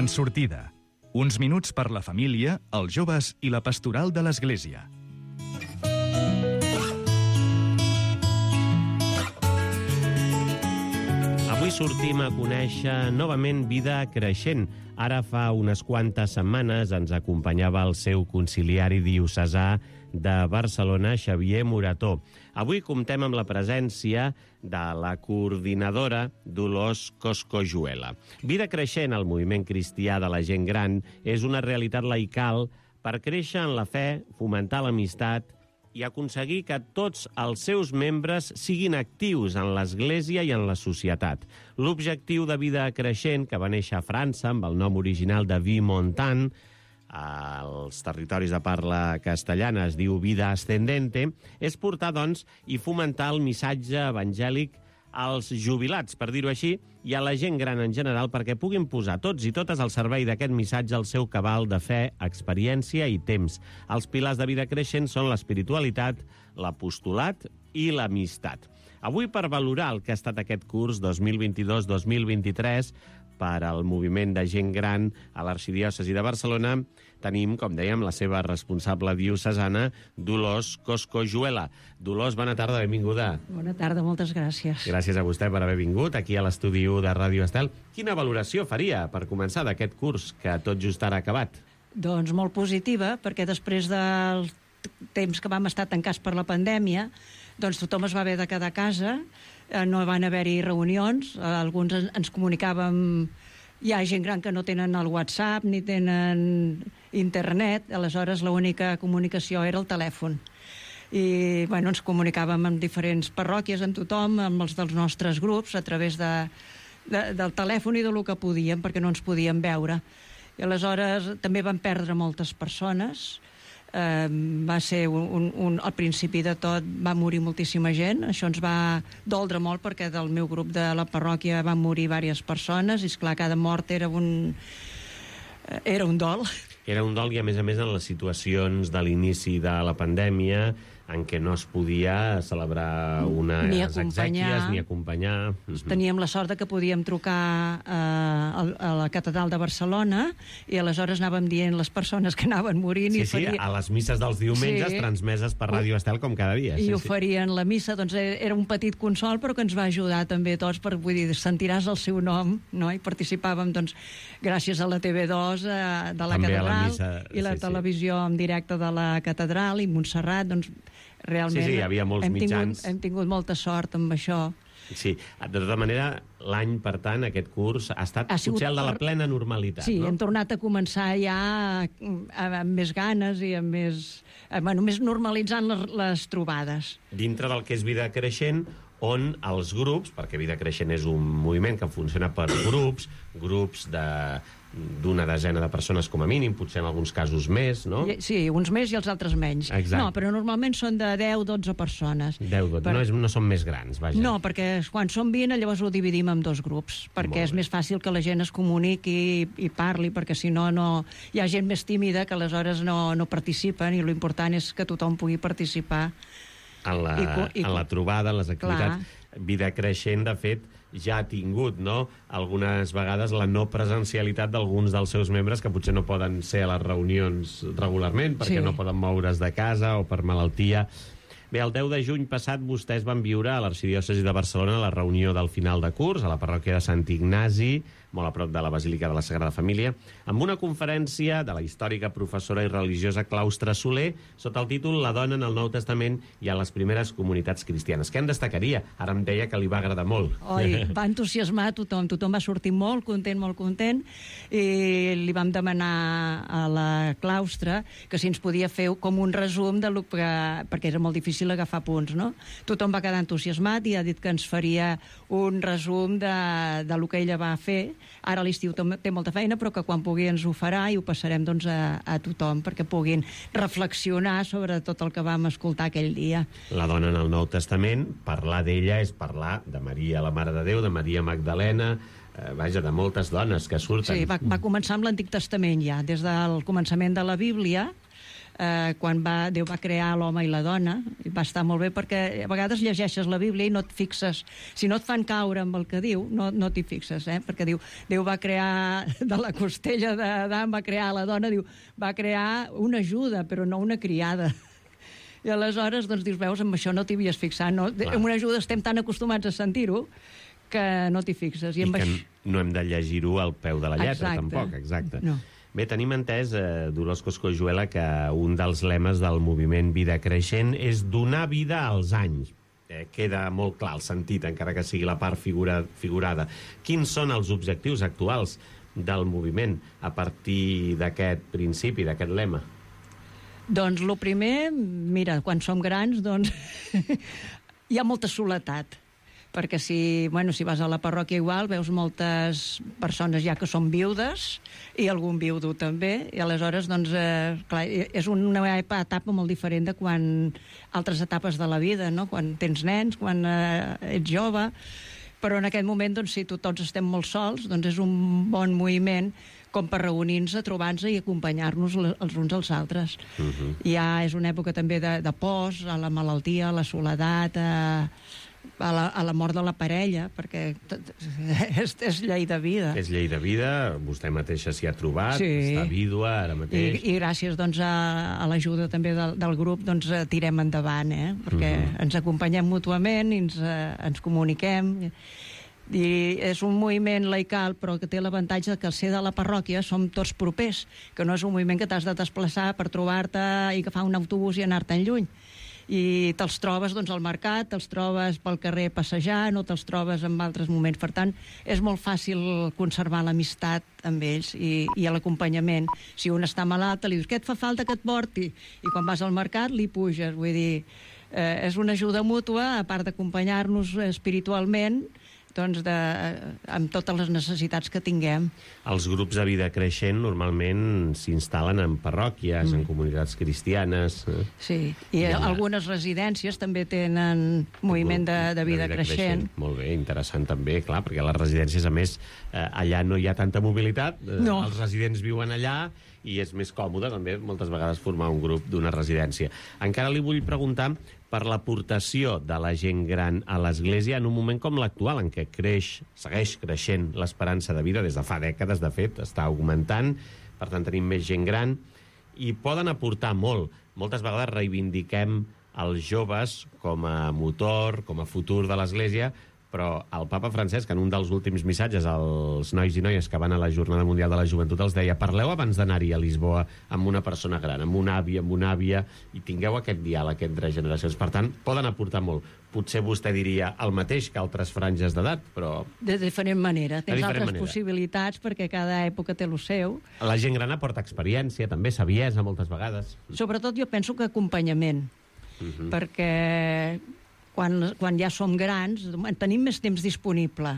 Gran sortida. Uns minuts per la família, els joves i la pastoral de l'Església. Avui sortim a conèixer novament Vida Creixent. Ara fa unes quantes setmanes ens acompanyava el seu conciliari diocesà de Barcelona, Xavier Morató. Avui comptem amb la presència de la coordinadora Dolors Coscojuela. Vida Creixent, el moviment cristià de la gent gran, és una realitat laical per créixer en la fe, fomentar l'amistat i aconseguir que tots els seus membres siguin actius en l'Església i en la societat. L'objectiu de Vida Creixent, que va néixer a França amb el nom original de Vie Montant, als territoris de parla castellana es diu Vida Ascendente, és portar, doncs, i fomentar el missatge evangèlic als jubilats, per dir-ho així, i a la gent gran en general, perquè puguin posar tots i totes al servei d'aquest missatge el seu cabal de fe, experiència i temps. Els pilars de Vida Creixent són l'espiritualitat, l'apostolat i l'amistat. Avui, per valorar el que ha estat aquest curs 2022-2023 per al moviment de gent gran a l'Arxidiòcesi de Barcelona, tenim, com dèiem, la seva responsable diocesana, Dolors Coscojuela. Dolors, bona tarda, benvinguda. Bona tarda, moltes gràcies. Gràcies a vostè per haver vingut aquí a l'estudi 1 de Ràdio Estel. Quina valoració faria, per començar, d'aquest curs que tot just ara ha acabat? Doncs molt positiva, perquè després del temps que vam estar tancats per la pandèmia, doncs tothom es va haver de quedar a casa, no van haver-hi reunions, alguns ens comunicàvem. Hi ha gent gran que no tenen el WhatsApp ni tenen internet, aleshores l'única comunicació era el telèfon. I ens comunicàvem amb diferents parròquies, amb tothom, amb els dels nostres grups, a través del telèfon i del que podíem, perquè no ens podíem veure. I aleshores també van perdre moltes persones. Va ser al principi de tot va morir moltíssima gent, això ens va doldre molt perquè del meu grup de la parròquia van morir diverses persones i esclar, cada mort era un dol. Era un dol i a més en les situacions de l'inici de la pandèmia en què no es podia celebrar unes exèquies ni acompanyar. Teníem la sort que podíem trucar a la catedral de Barcelona i aleshores anàvem dient les persones que anaven morint. Sí, a les misses dels diumenges transmeses per Ràdio Estel com cada dia. I oferien la missa, doncs era un petit consol però que ens va ajudar també a tots, per, vull dir, sentiràs el seu nom, no? I participàvem, doncs, gràcies a la TV2 de la catedral i la televisió en directe de la catedral i Montserrat, doncs realment hi havia molts mitjans. Hem tingut molta sort amb això. Sí, de tota manera, l'any, per tant, aquest curs ha estat potser el de la plena normalitat, sí, no? Hem tornat a començar ja amb més ganes i amb més normalitzant les trobades. Dintre del que és Vida Creixent, on els grups, perquè Vida Creixent és un moviment que funciona per grups d'una desena de persones com a mínim, potser en alguns casos més, no? Sí, uns més i els altres menys. Exacte. No, però normalment són de 10-12 persones. 10-12, no són més grans, vaja. No, perquè quan són 20 llavors ho dividim en dos grups, perquè és més fàcil que la gent es comuniqui i parli, perquè si no, hi ha gent més tímida que aleshores no participen i l'important és que tothom pugui participar. En la trobada, en les activitats. Clar. Vida Creixent, de fet, ja ha tingut, no?, algunes vegades la no presencialitat d'alguns dels seus membres que potser no poden ser a les reunions regularment perquè no poden moure's de casa o per malaltia. Bé, el 10 de juny passat vostès van viure a l'Arxidiòcesi de Barcelona la reunió del final de curs a la parròquia de Sant Ignasi, molt a prop de la Basílica de la Sagrada Família, amb una conferència de la històrica professora i religiosa Claustre Soler sota el títol La dona en el Nou Testament i a les primeres comunitats cristianes. Què en destacaria? Ara em deia que li va agradar molt. Oi, va entusiasmar tothom va sortir molt content, i li vam demanar a la Claustre que si ens podia fer com un resum perquè era molt difícil agafar punts, no? Tothom va quedar entusiasmat i ha dit que ens faria un resum de lo que ella va fer. Ara a l'estiu té molta feina, però que quan pugui ens ho farà i ho passarem doncs a tothom perquè puguin reflexionar sobre tot el que vam escoltar aquell dia. La dona en el Nou Testament, parlar d'ella és parlar de Maria, la Mare de Déu, de Maria Magdalena, de moltes dones que surten. Sí, va començar amb l'Antic Testament ja, des del començament de la Bíblia. quan Déu va crear l'home i la dona, i va estar molt bé perquè a vegades llegeixes la Bíblia i no et fixes, si no et fan caure amb el que diu, no t'hi fixes, perquè diu, Déu va crear de la costella d'Adam, va crear la dona, diu, va crear una ajuda, però no una criada. I aleshores, doncs, dius, veus, amb això no t'hi havies fixat, no? Amb una ajuda estem tan acostumats a sentir-ho que no t'hi fixes. I que no hem de llegir-ho al peu de la lletra, tampoc, exacte. No. Bé, tenim entès, Dolors Coscolluela, que un dels lemes del moviment Vida Creixent és donar vida als anys. Queda molt clar el sentit, encara que sigui la part figurada. Quins són els objectius actuals del moviment a partir d'aquest principi, d'aquest lema? Doncs el primer, mira, quan som grans, doncs hi ha molta soledat. Perquè si vas a la parròquia igual, veus moltes persones ja que són viudes, i algun viudo també, i aleshores, doncs, clar, és una etapa molt diferent de quan altres etapes de la vida, no? Quan tens nens, quan ets jove, però en aquest moment, doncs, si tots estem molt sols, doncs és un bon moviment com per reunir-nos, trobar-nos i acompanyar-nos els uns als altres. Ja és una època també de pors, a la malaltia, a la soledat, a la mort de la parella, perquè és llei de vida. És llei de vida, vostè mateixa s'hi ha trobat, està vídua ara mateix. I gràcies doncs, a l'ajuda també del grup doncs, tirem endavant, perquè ens acompanyem mútuament i ens comuniquem. I és un moviment laical, però que té l'avantatge que al ser de la parròquia som tots propers, que no és un moviment que t'has de desplaçar per trobar-te i agafar un autobús i anar-te'n lluny. I te'ls trobes doncs, al mercat, te'ls trobes pel carrer passejant o te'ls trobes en altres moments. Per tant, és molt fàcil conservar l'amistat amb ells i l'acompanyament. Si un està malalt, li dius, què et fa falta que et porti? I quan vas al mercat, li puges. Vull dir, és una ajuda mútua, a part d'acompanyar-nos espiritualment, doncs amb totes les necessitats que tinguem. Els grups de Vida Creixent normalment s'instal·len en parròquies, en comunitats cristianes. Sí, i algunes residències també tenen moviment de vida creixent. Molt bé, interessant també, clar, perquè a les residències, a més, allà no hi ha tanta mobilitat, els residents viuen allà i és més còmode també moltes vegades formar un grup d'una residència. Encara li vull preguntar per l'aportació de la gent gran a l'Església en un moment com l'actual, en què segueix creixent l'esperança de vida des de fa dècades, de fet, està augmentant, per tant tenim més gent gran, i poden aportar molt. Moltes vegades reivindiquem els joves com a motor, com a futur de l'Església, però el papa Francesc, en un dels últims missatges als nois i noies que van a la Jornada Mundial de la Joventut, els deia, parleu abans d'anar-hi a Lisboa amb una persona gran, amb un avi, amb una àvia, i tingueu aquest diàleg entre generacions. Per tant, poden aportar molt. Potser vostè diria el mateix que altres franges d'edat, però... De diferent manera. Tens altres possibilitats, perquè cada època té el seu. La gent gran aporta experiència, també saviesa, moltes vegades. Sobretot jo penso que acompanyament, perquè... Quan ja som grans, tenim més temps disponible,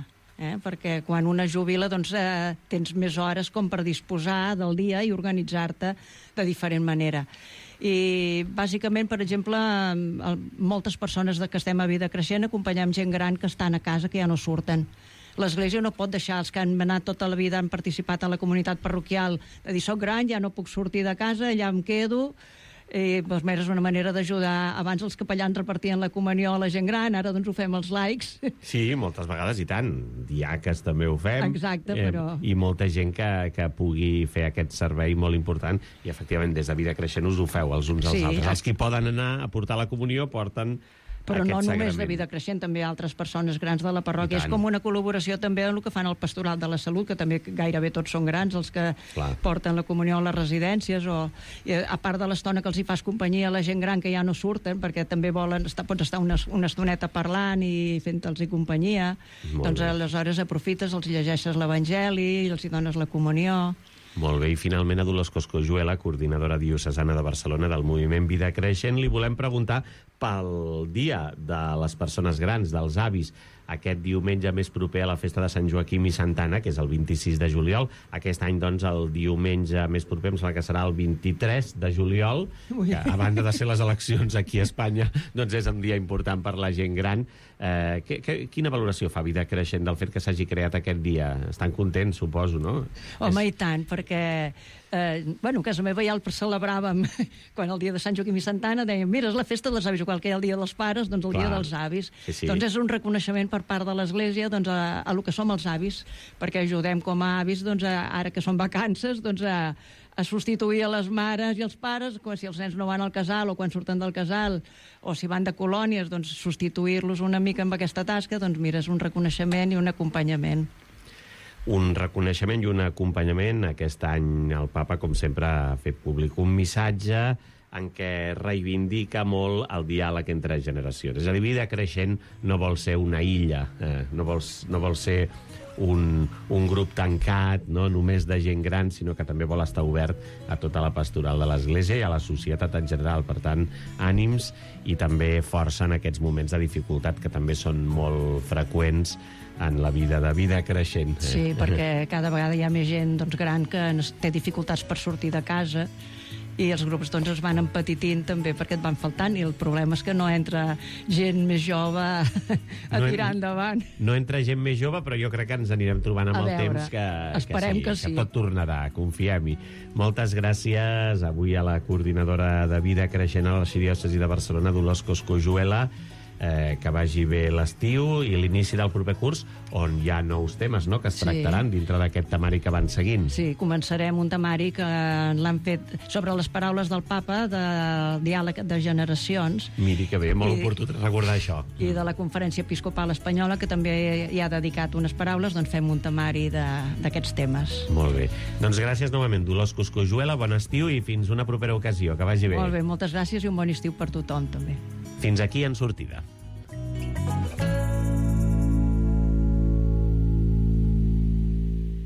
perquè quan una jubila doncs, tens més hores com per disposar del dia i organitzar-te de diferent manera. I bàsicament, per exemple, moltes persones que estem a Vida Creixent acompanyem gent gran que estan a casa, que ja no surten. L'Església no pot deixar els que han anat tota la vida, han participat a la comunitat parroquial, de dir, soc gran, ja no puc sortir de casa, allà em quedo. I doncs, és una manera d'ajudar. Abans els capellans repartien la comunió a la gent gran, ara doncs ho fem els laics. Sí, moltes vegades, i tant. Diaques també ho fem. Exacte, però... I molta gent que pugui fer aquest servei molt important, i efectivament des de Vida Creixent us ho feu els uns als altres. Els que poden anar a portar la comunió porten... Però no només de Vida Creixent, també altres persones grans de la parròquia. És com una col·laboració també en el que fan el Pastoral de la Salut, que també gairebé tots són grans, els que porten la comunió a les residències, a part de l'estona que els hi fas companyia a la gent gran que ja no surten, perquè també pots estar una estoneta parlant i fent-los companyia, doncs aleshores aprofites, els llegeixes l'Evangeli, els hi dones la comunió... Molt bé, i finalment a Dolors Coscolluela, coordinadora diocesana de Barcelona del moviment Vida Creixent, li volem preguntar pel Dia de les Persones Grans, dels avis, aquest diumenge més proper a la festa de Sant Joaquim i Santa Anna, que és el 26 de juliol. Aquest any, doncs, el diumenge més proper em sembla que serà el 23 de juliol, que, a banda de ser les eleccions aquí a Espanya, doncs és un dia important per la gent gran. Quina valoració fa Vida Creixent del fet que s'hagi creat aquest dia? Estan contents, suposo, no? Home, i tant, perquè a casa meva ja el celebràvem quan el dia de Sant Joaquim i Santa Anna dèiem, mira, és la festa dels avis, igual que hi ha el dia dels pares, doncs el dia dels avis. Sí. Doncs és un reconeixement per part de l'Església doncs, a lo que som els avis, perquè ajudem com a avis, doncs, ara que són vacances, doncs, a substituir a les mares i els pares, si els nens no van al casal o quan surten del casal, o si van de colònies, doncs substituir-los una mica amb aquesta tasca, doncs mira, és un reconeixement i un acompanyament. Un reconeixement i un acompanyament. Aquest any el papa, com sempre, ha fet públic un missatge en què reivindica molt el diàleg entre generacions. És a dir, Vida Creixent no vol ser una illa, no vol ser un grup tancat, no només de gent gran, sinó que també vol estar obert a tota la pastoral de l'Església i a la societat en general. Per tant, ànims i també força en aquests moments de dificultat que també són molt freqüents en la vida de Vida Creixent. Sí, perquè cada vegada hi ha més gent gran que té dificultats per sortir de casa i els grups es van empetitint també perquè et van faltant, i el problema és que no entra gent més jove a tirar endavant. No entra gent més jove, però jo crec que ens anirem trobant amb el temps que tot tornarà, confiem-hi. Moltes gràcies avui a la coordinadora de Vida Creixent a l'Arxidiòcesi de Barcelona, Dolors Coscojuela. Que vagi bé l'estiu i l'inici del proper curs, on hi ha nous temes, no?, que es tractaran dintre d'aquest temari que van seguint. Sí, començarem un temari que l'han fet sobre les paraules del papa de diàleg de generacions. Miri que bé, molt oportú recordar això. I de la Conferència Episcopal Espanyola, que també hi ha dedicat unes paraules, doncs fem un temari d'aquests temes. Molt bé. Doncs gràcies novament, Dolors Coscojuela, bon estiu i fins una propera ocasió. Que vagi bé. Molt bé, moltes gràcies i un bon estiu per tothom, també. Fins aquí En Sortida.